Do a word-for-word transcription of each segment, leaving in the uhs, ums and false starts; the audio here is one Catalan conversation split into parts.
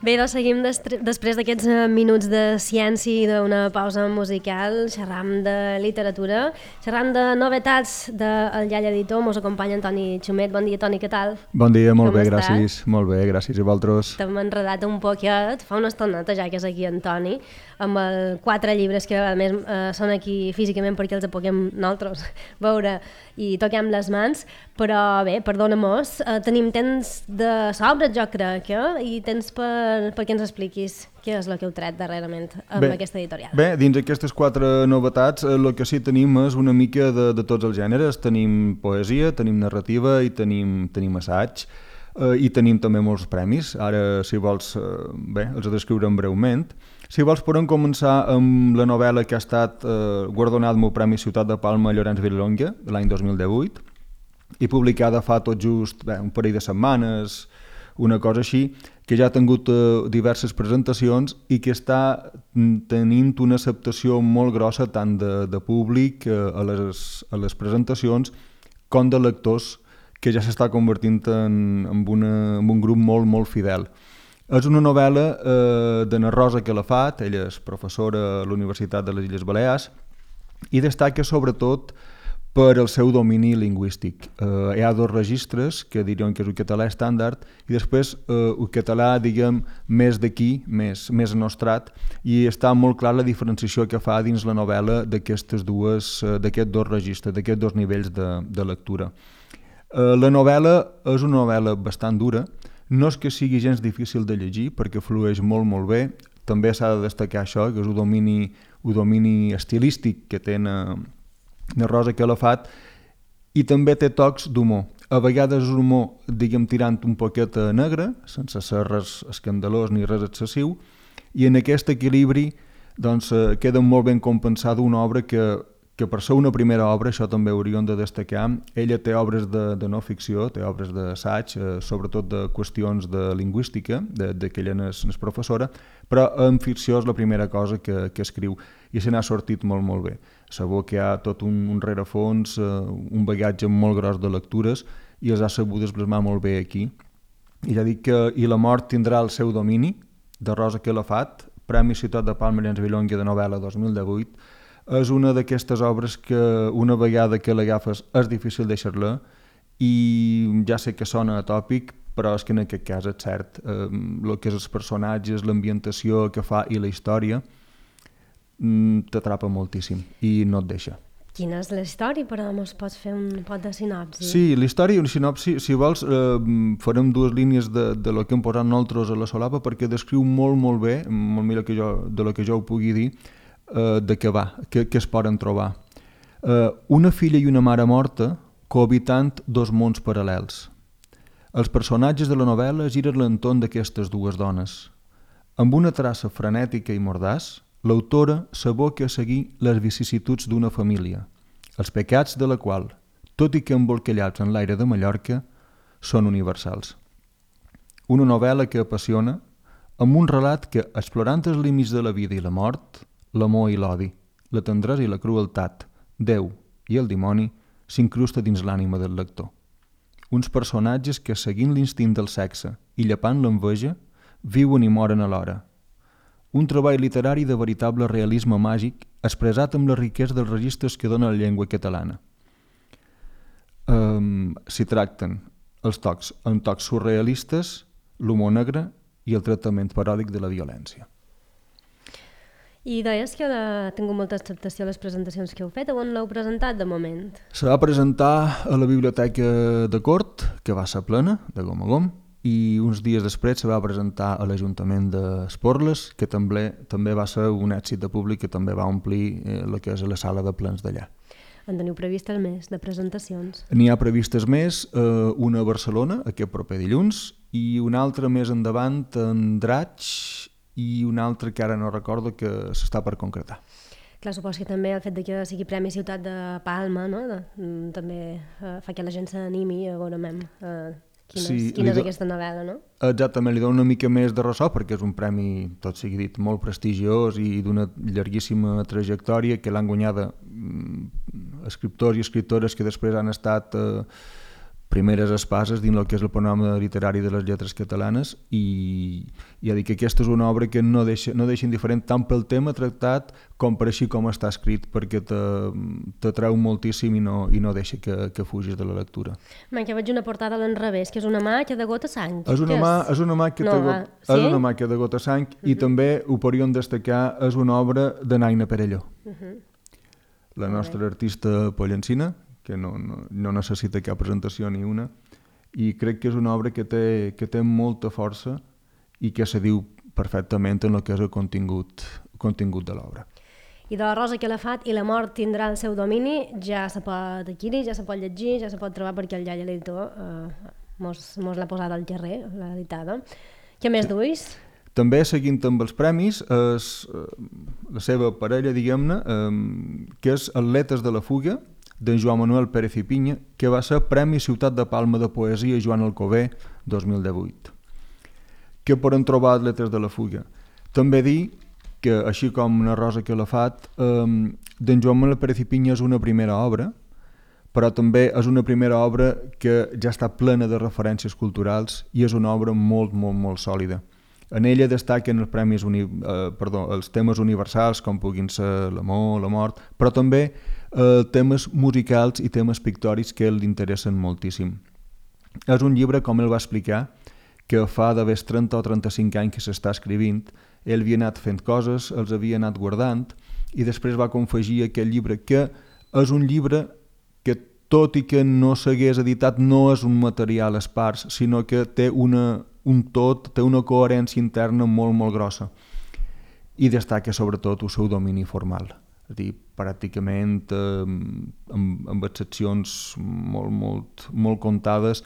Bé, doncs seguim destre- després d'aquests eh, minuts de ciència i d'una pausa musical, xerram de literatura, xerram de novetats del Llalla Editor. Mos acompanya Antoni Xumet. Bon dia, Toni, què tal? Bon dia, molt Com bé, estàs? gràcies. Molt bé, gràcies. I vosaltres? T'hem enredat un poquet, fa una estoneta ja que és aquí Antoni, amb el quatre llibres que a més eh, són aquí físicament perquè els puguem nosaltres veure i toquem les mans, però bé, perdona-mos, eh, tenim temps de sobres, jo crec, eh? I temps per, perquè ens expliquis què és el que heu tret darrerament amb bé, aquesta editorial. Bé, dins aquestes quatre novetats, el que sí tenim és una mica de, de tots els gèneres. Tenim poesia, tenim narrativa i tenim, tenim assaig. Uh, i tenim també molts premis. Ara, si vols, uh, bé, els descriurem breument. Si vols, podem començar amb la novel·la que ha estat uh, guardonada amb el Premi Ciutat de Palma Llorenç Vilallonga l'any dos mil divuit i publicada fa tot just bé, un parell de setmanes, una cosa així, que ja ha tingut uh, diverses presentacions i que està tenint una acceptació molt grossa tant de, de públic uh, a, les, a les presentacions com de lectors, que ja s'està convertint en, en, una, en un grup molt, molt fidel. És una novel·la eh, de na Rosa Calafat, ella és professora a la Universitat de les Illes Balears, i destaca sobretot per el seu domini lingüístic. Eh, hi ha dos registres, que diríem que és el català estàndard, i després eh, el català, diguem, més d'aquí, més, més nostrat, i està molt clar la diferenciació que fa dins la novel·la d'aquestes dues, eh, d'aquests dos registres, d'aquests dos nivells de, de lectura. La novel·la és una novel·la bastant dura, no és que sigui gens difícil de llegir perquè flueix molt molt bé, també s'ha de destacar això, que és un domini, un domini estilístic que té na, na Rosa Calafat, i també té tocs d'humor. A vegades és un humor, diguem, tirant un poquet a negre, sense ser res escandalós ni res excessiu, i en aquest equilibri doncs, queda molt ben compensada una obra que que per ser una primera obra, això també hauríem de destacar, ella té obres de, de no ficció, té obres d'assaig, eh, sobretot de qüestions de lingüística, de, de que ella n'és, n'és professora, però en ficció és la primera cosa que, que escriu, i se n'ha sortit molt, molt bé. Sabó que hi ha tot un, un rerefons, eh, un bagatge molt gros de lectures, i els ha sabut esblasmar molt bé aquí. I ja dic que I la mort tindrà el seu domini, de Rosa Calafat, Premi Ciutat de Palma Llorenç Vilallonga de novel·la dos mil divuit, és una d'aquestes obres que una vegada que l'agafes és difícil deixar-la, i ja sé que sona atòpic, però és que en aquest cas és cert. Eh, el que és els personatges, l'ambientació que fa i la història t'atrapa moltíssim i no et deixa. Quina és la història, però ens pots fer un pot de sinopsi? Sí, la història, una sinopsi, si vols, eh, farem dues línies de, de lo que hem posat nosaltres a la solapa perquè descriu molt, molt bé, molt millor que jo, de lo que jo ho pugui dir, Uh, de què va, què, què es poden trobar. Uh, una filla i una mare morta cohabitant dos mons paral·lels. Els personatges de la novel·la giren l'entorn d'aquestes dues dones. Amb una traça frenètica i mordaç, l'autora s'aboca a seguir les vicissituds d'una família, els pecats de la qual, tot i que embolcallats en l'aire de Mallorca, són universals. Una novel·la que apassiona, amb un relat que, explorant els límits de la vida i la mort, l'amor i l'odi, la tendresa i la crueltat, Déu i el dimoni, s'incrusta dins l'ànima del lector. Uns personatges que, seguint l'instint del sexe i llepant l'enveja, viuen i moren alhora. Un treball literari de veritable realisme màgic expressat amb la riquesa dels registres que dona la llengua catalana. Um, S'hi tracten els tocs, en tocs surrealistes, l'humor negre i el tractament paròdic de la violència. I deies que ha tingut molta acceptació a les presentacions que heu fet. On l'heu presentat de moment? Se va presentar a la Biblioteca de Cort, que va ser plena, de gom a gom, i uns dies després se va presentar a l'Ajuntament d'Esporles, que també, també va ser un èxit de públic que també va omplir eh, el que és la sala de plens d'allà. En teniu previstes més de presentacions? N'hi ha previstes més, eh, una a Barcelona, aquest proper dilluns, i una altra més endavant a Andratx, i un altre que ara no recordo que s'està per concretar. Clar, supos que també el fet de que sigui Premi Ciutat de Palma, no? de, també eh, fa que la gent s'animi a veure mem, eh, quina, sí, és, quina és do... aquesta novel·la, no? Exactament, li dono una mica més de ressò perquè és un premi, tot sigui dit, molt prestigiós i d'una llarguíssima trajectòria que l'han guanyada mm, escriptors i escriptores que després han estat eh, primeres espases dins el que és el panorama literari de les lletres catalanes i ja dic que aquesta és una obra que no deixa, no deixa indiferent tant pel tema tractat com per així com està escrit, perquè t'atreu moltíssim i no, i no deixa que, que fugis de la lectura. Man, que veig una portada a l'enrevés, que és una mà que de gota sang. És una, mà, és una mà que no, de, sí? és una mà que de gota sang uh-huh. i també ho podríem destacar, és una obra de Naina Perelló, uh-huh. la nostra okay. artista pollencina, que no, no, no necessita cap presentació ni una, i crec que és una obra que té, que té molta força i que se diu perfectament en el que és el contingut, contingut de l'obra. I de la Rosa Calafat i la mort tindrà el seu domini, ja se pot adquirir, ja se pot llegir, ja se pot trobar perquè el iaia l'editor eh, mos, mos l'ha posat al carrer, l'ha editada. Què més duis? També, seguint amb els premis, és la seva parella, diguem-ne, eh, que és Atletes de la Fuga, d'en Joan Manuel Pérez i Pinya, que va ser Premi Ciutat de Palma de Poesia Joan Alcover dos mil divuit. Què poden trobar Atletes de la Fuga? També dir que, així com una Rosa Calafat, eh, d'en Joan Manuel Pérez i Pinya és una primera obra, però també és una primera obra que ja està plena de referències culturals i és una obra molt, molt, molt sòlida. En ella destaquen els premis uni, eh, perdó, els temes universals, com puguin ser l'amor, la mort, però també eh, temes musicals i temes pictòrics que l'interessen moltíssim. És un llibre, com ell va explicar, que fa d'haver trenta o trenta-cinc anys que s'està escrivint. Ell havia anat fent coses, els havia anat guardant, i després va confegir aquest llibre, que és un llibre que, tot i que no s'hagués editat, no és un material espars, sinó que té una, un tot, té una coherència interna molt, molt grossa. I destaca sobretot el seu domini formal. És a dir, pràcticament eh, amb, amb excepcions molt, molt, molt comptades,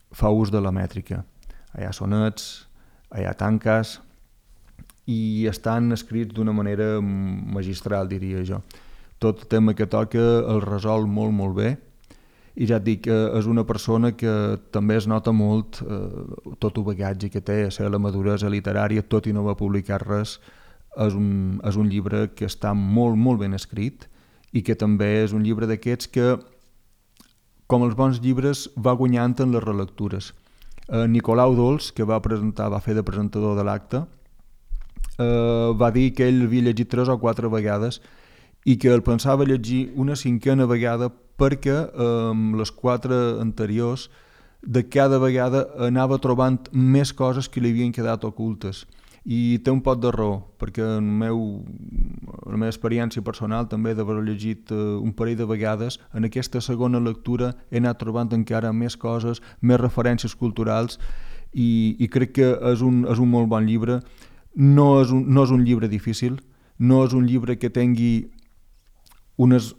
fa ús de la mètrica. Hi ha sonets, hi ha tanques, i estan escrits d'una manera magistral, diria jo. Tot el tema que toca el resol molt, molt bé, i ja et dic que és una persona que també es nota molt eh, tot el bagatge que té, la maduresa literària, tot i no va publicar res. És un, és un llibre que està molt, molt ben escrit i que també és un llibre d'aquests que, com els bons llibres, va guanyant en les relectures. Eh, Nicolau Dols, que va presentar, va fer de presentador de l'acte, eh, va dir que ell havia llegit tres o quatre vegades i que el pensava llegir una cinquena vegada perquè eh, les quatre anteriors de cada vegada anava trobant més coses que li havien quedat ocultes. I té un pot de raó, perquè en meu, la meva experiència personal també d'haver llegit eh, un parell de vegades, en aquesta segona lectura he anat trobant encara més coses, més referències culturals i, i crec que és un, és un molt bon llibre. No és, un, no és un llibre difícil, no és un llibre que tingui unes,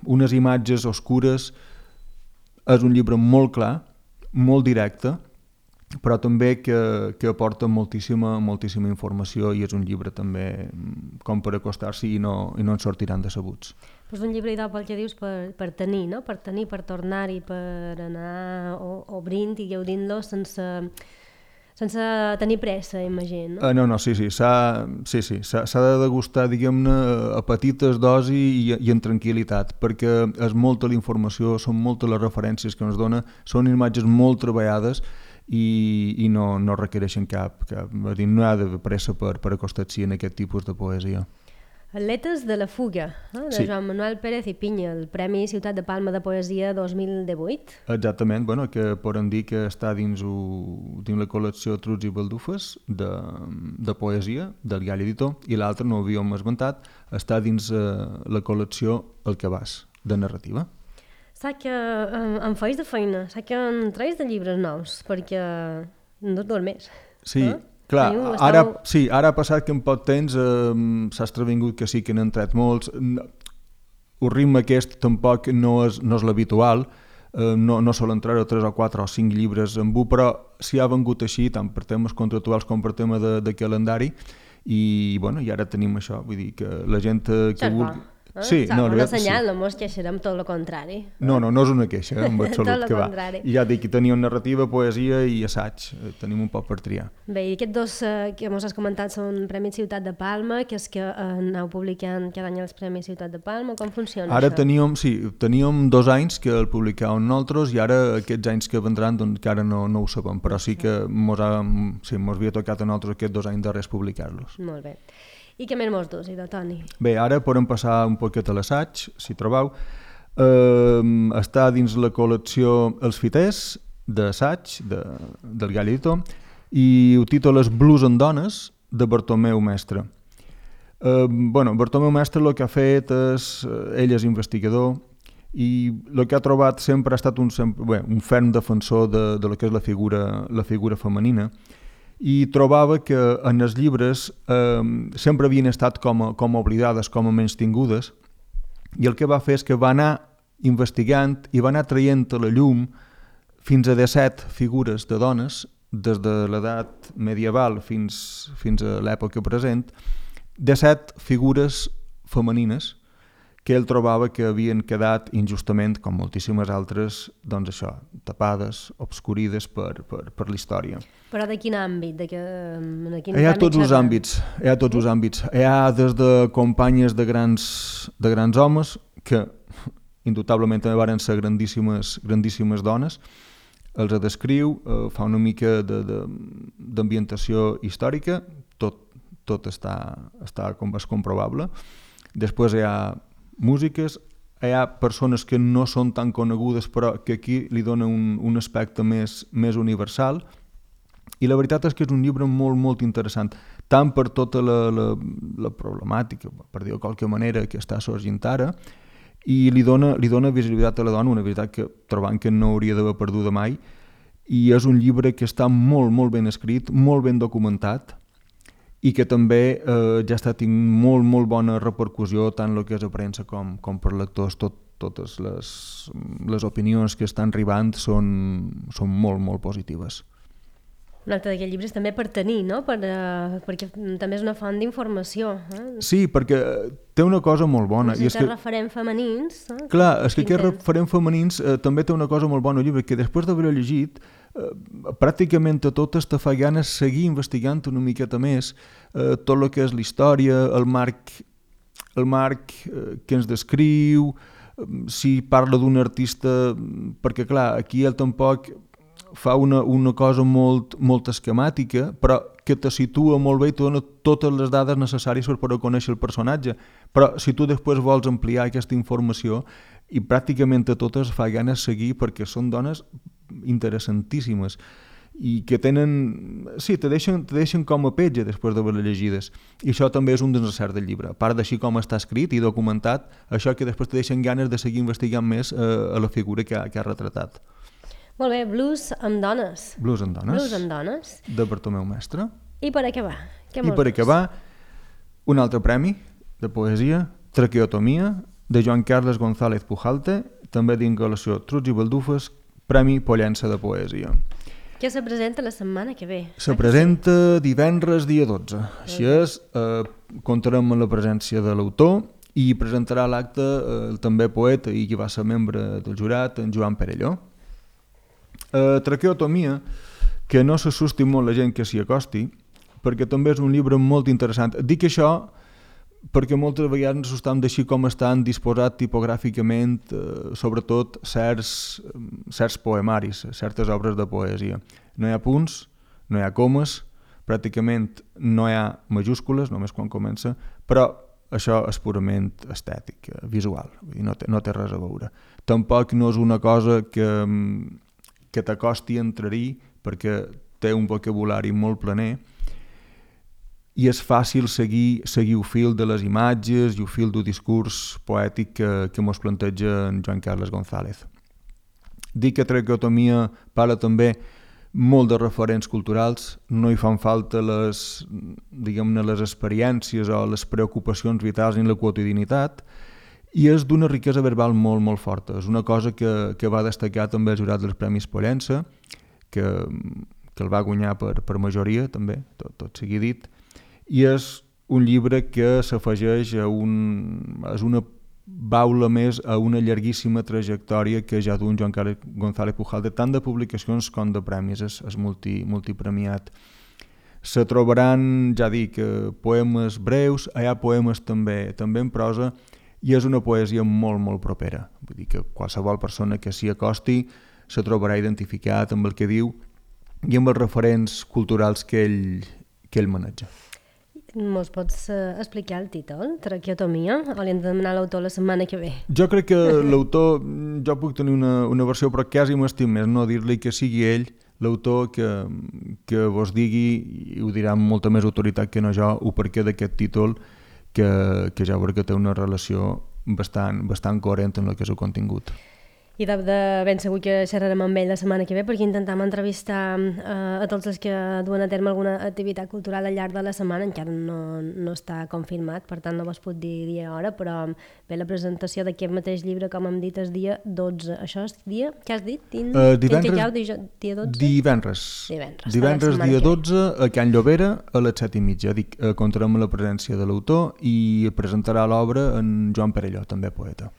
unes imatges oscures, és un llibre molt clar, molt directe, però també que, que aporta moltíssima, moltíssima informació i és un llibre també com per acostar-s'hi i, no, i no en sortiran decebuts. És un llibre idò pel que dius per, per tenir, no? Per tenir, per tornar-hi, per anar obrint i gaudint-lo sense, sense tenir pressa, imagino. No, uh, no, no sí, sí, s'ha sí, sí, de degustar, diguem-ne, a petites dosis i, i en tranquil·litat, perquè és molta la informació, són moltes les referències que ens dona, són imatges molt treballades i, i no, no requereixen cap, cap dir, no hi ha de pressa per, per acostar-s'hi en aquest tipus de poesia. Atletes de la Fuga, eh? de sí. Joan Manuel Pérez i Pinya, el Premi Ciutat de Palma de Poesia dos mil divuit. Exactament, bueno, que podem dir que està dins, o, dins la col·lecció Trucs i Baldufes de, de poesia del Gall Editor, i l'altre, no ho havíem esmentat, està dins eh, la col·lecció El Cabàs, de narrativa. Saps que eh, em feis de feina, saps que em treus de llibres nous, perquè no et dormés. Sí, eh? clar, Teniu, ara, esteu... sí, ara ha passat que en poc temps eh, s'ha estrevingut que sí que n'han tret molts. El ritme aquest tampoc no és, no és l'habitual, eh, no, no solen treure tres o quatre o cinc llibres en bu, però s'hi ha vengut així, tant per temes contractuals com per tema de, de calendari, i, bueno, i ara tenim això, vull dir que la gent que vulgui... Eh? Sí, Sap, no, una veritat, senyal, sí. no mos queixarem, tot el contrari. No, no, no és una queixa, en Tot absolut, el que va. contrari. I ja dic que teníem narrativa, poesia i assaig, tenim un poc per triar. Bé, i aquests dos eh, que mos has comentat són Premi Ciutat de Palma, que és que eh, aneu publicant cada any els Premis Ciutat de Palma, com funciona Ara això? teníem, sí, teníem dos anys que el publicàvem nosaltres i ara aquests anys que vendran doncs encara no, no ho sabem, però sí que mos, ha, sí, mos havia tocat a nosaltres aquests dos anys darrers publicar-los. Molt bé. I què més mos dus, idò, Toni? Bé, ara podem passar un poquet a l'assaig, si trobeu. Eh, està dins la col·lecció Els Fiters, d'assaig, de, del Gall Editor, i ho títoles Blues en dones, de Bartomeu Mestre. Eh, bueno, Bartomeu Mestre el que ha fet és, ell és investigador, i el que ha trobat sempre ha estat un, sempre, bé, un ferm defensor de, de lo que és la figura, la figura femenina, i trobava que en els llibres eh, sempre havien estat com a, com a oblidades, com a menystingudes, i el que va fer és que va anar investigant i va anar traient a la llum fins a disset figures de dones, des de l'edat medieval fins, fins a l'època present, disset figures femenines que ell trobava que havien quedat injustament, com moltíssimes altres, doncs això, tapades, obscurides per, per, per la història. Però de quin àmbit? De que, de quin Hi ha àmbit tots els xerrem? àmbits, hi ha tots els àmbits. Hi ha des de companyes de grans, de grans homes, que indubtablement també van ser grandíssimes, grandíssimes dones, els descriu, eh, fa una mica d'ambientació històrica, tot, tot està, està com és comprovable. Després hi ha músiques, hi ha persones que no són tan conegudes però que aquí li dona un, un aspecte més, més universal, i la veritat és que és un llibre molt, molt interessant, tant per tota la, la, la problemàtica, per dir-ho de qualque manera, que està sorgint ara, i li dona, li dona visibilitat a la dona, una veritat que trobant que no hauria d'haver perduda mai, i és un llibre que està molt, molt ben escrit, molt ben documentat, i que també eh, ja està tinguent molt, molt bona repercussió tant el que és a premsa com, com per lectors. Tot, totes les, les opinions que estan arribant són, són molt, molt positives. Un altre d'aquests llibres també per tenir, no? Per, uh, perquè també és una font d'informació. Eh? Sí, perquè té una cosa molt bona. Si I és té que, referents femenins... Eh? clar, és que aquests Intent. referents femenins eh, també té una cosa molt bona al llibre, que després d'haver-ho llegit, eh, pràcticament a totes te fa ganes seguir investigant una miqueta més eh, tot el que és la història, el marc, el marc eh, que ens descriu, eh, si parla d'un artista, perquè clar, aquí ell tampoc fa una, una cosa molt, molt esquemàtica, però que te situa molt bé i te dona totes les dades necessàries per poder conèixer el personatge. Però si tu després vols ampliar aquesta informació, i pràcticament a totes fa ganes seguir, perquè són dones interessantíssimes i que tenen... Sí, te deixen, te deixen com a petja després d'haver-les llegides. I això també és un dels encerts del llibre. A part d'així com està escrit i documentat, això que després te deixen ganes de seguir investigant més eh, a la figura que ha, que ha retratat. Molt bé, Blues amb dones. Blues en dones. Blues amb dones. De Bartomeu Mestre. I per acabar? Què I per acabar, un altre premi de poesia, Traqueotomia, de Joan Carles González Pujalte, també d'incolació Trucs i Baldufes, Premi Pollença de Poesia. Que se presenta la setmana que ve. Se presenta divendres dia dotze. Així és, eh, comptarem amb la presència de l'autor i presentarà l'acte eh, el també poeta i qui va ser membre del jurat, en Joan Perelló. Eh, Traqueotomia, que no s'assusti molt la gent que s'hi acosti, perquè també és un llibre molt interessant. Dic això perquè moltes vegades ens assustam d'així com estan disposats tipogràficament, eh, sobretot certs, certs poemaris, certes obres de poesia. No hi ha punts, no hi ha comes, pràcticament no hi ha majúscules, només quan comença, però això és purament estètic, visual, no té, no té res a veure. Tampoc no és una cosa que... que t'acosti a entrar-hi perquè té un vocabulari molt planer i és fàcil seguir, seguir el fil de les imatges i el fil del discurs poètic que, que mos planteja en Joan Carles González. Dic que Traqueotomia parla també molt de referents culturals, no hi fan falta les, diguem-ne, les experiències o les preocupacions vitals ni la quotidianitat, i és d'una riquesa verbal molt, molt forta. És una cosa que, que va destacar també el jurat dels Premis Pollença, que, que el va guanyar per, per majoria, també, tot, tot sigui dit, i és un llibre que s'afegeix a un, és una baula més a una llarguíssima trajectòria que ja d'un Joan Carles González Pujalde, tant de publicacions com de premis, és, és multi, multipremiat. Se trobaran, ja dic, poemes breus, hi ha poemes també, també en prosa, i és una poesia molt, molt propera. Vull dir que qualsevol persona que s'hi acosti se trobarà identificat amb el que diu i amb els referents culturals que ell, que ell maneja. Mos pots uh, explicar el títol? Traqueotomia? O li hem de demanar l'autor la setmana que ve? Jo crec que l'autor, jo puc tenir una, una versió, però quasi m'estim més no dir-li que sigui ell l'autor que, que vos digui, i ho dirà amb molta més autoritat que no jo, o perquè d'aquest títol, que, que ja veuré que té una relació bastant, bastant coherent en el que és el contingut. I de, de ben segur que xerrarem amb ell la setmana que ve, perquè intentam entrevistar eh, a tots els que duen a terme alguna activitat cultural al llarg de la setmana. Encara no, no està confirmat, per tant no vos puc dir dia i hora, però bé, la presentació d'aquest mateix llibre, com hem dit, és dia dotze. Això és dia, què has dit? Din, uh, divendres, Quinticau, dia dotze? Divendres. Divendres, divendres dia dotze, a Can Llobera, a les set i mitja. Dic, eh, comptarem amb la presència de l'autor i presentarà l'obra en Joan Perelló, també poeta.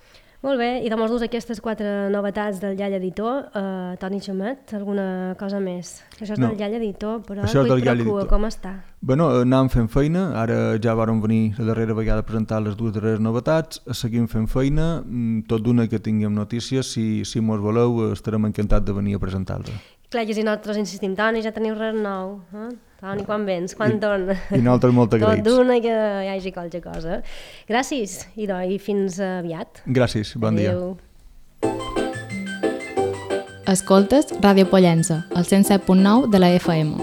Molt bé, i de molts aquestes quatre novetats del Llall Editor, eh, Toni Xumet, alguna cosa més? Això és no. del Llall Editor, però Això és del Llall Editor. Com està? Bueno, anàvem fent feina, ara ja vàrem venir la darrera vegada a presentar les dues darreres novetats, seguim fent feina, tot d'una que tinguem notícies, si, si mos voleu estarem encantats de venir a presentar-les. Clar, que si nosaltres insistim, Toni, ja teniu res nou, eh? Toni, quan vens? Quan torna? I nosaltres molt agraïts. Tot d'una que hi hagi qualque cosa. Gràcies, i, do, i fins aviat. Gràcies, bon Adeu. dia. Escoltes Ràdio Pollença, al cent set punt nou de la F M.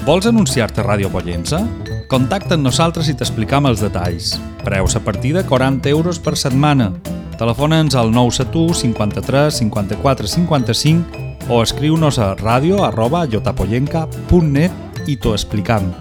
Vols anunciar-te a Ràdio Pollença? Contacta amb nosaltres i t'explicam els detalls. Preus a partir de quaranta euros per setmana. Telefona'ns al nou set u cinquanta-tres cinquanta-quatre cinquanta-cinc o escriu-nos a radio arroba llotapollenca punt net i t'ho explicam.